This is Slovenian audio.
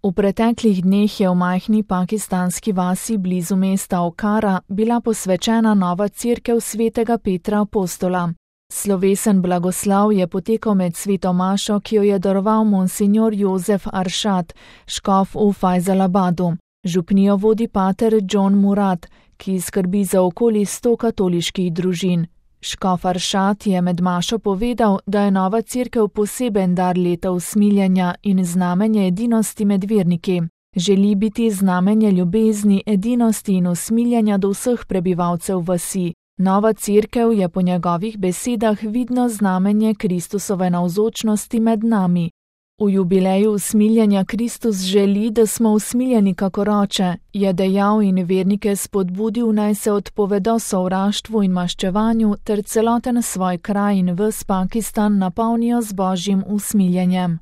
V preteklih dneh je v majhni pakistanski vasi blizu mesta Okara bila posvečena nova cerkev svetega Petra Apostola. Slovesen blagoslav je potekal med sveto mašo, ki jo je daroval monsignor Jozef Aršad, škof v Fajzalabadu. Župnijo vodi pater John Murad, ki skrbi za okoli 100 katoliških družin. Škof Aršad je med mašo povedal, da je nova cerkev poseben dar leta usmiljenja in znamenje edinosti med verniki. Želi biti znamenje ljubezni, edinosti in usmiljenja do vseh prebivalcev vasi. Nova cerkev je po njegovih besedah vidno znamenje Kristusove navzočnosti med nami. V jubileju usmiljenja Kristus želi, da smo usmiljeni kakor oče, je dejal in vernike spodbudil, naj se odpovedo sovraštvu in maščevanju ter celoten svoj kraj in ves Pakistan napolnijo z Božjim usmiljenjem.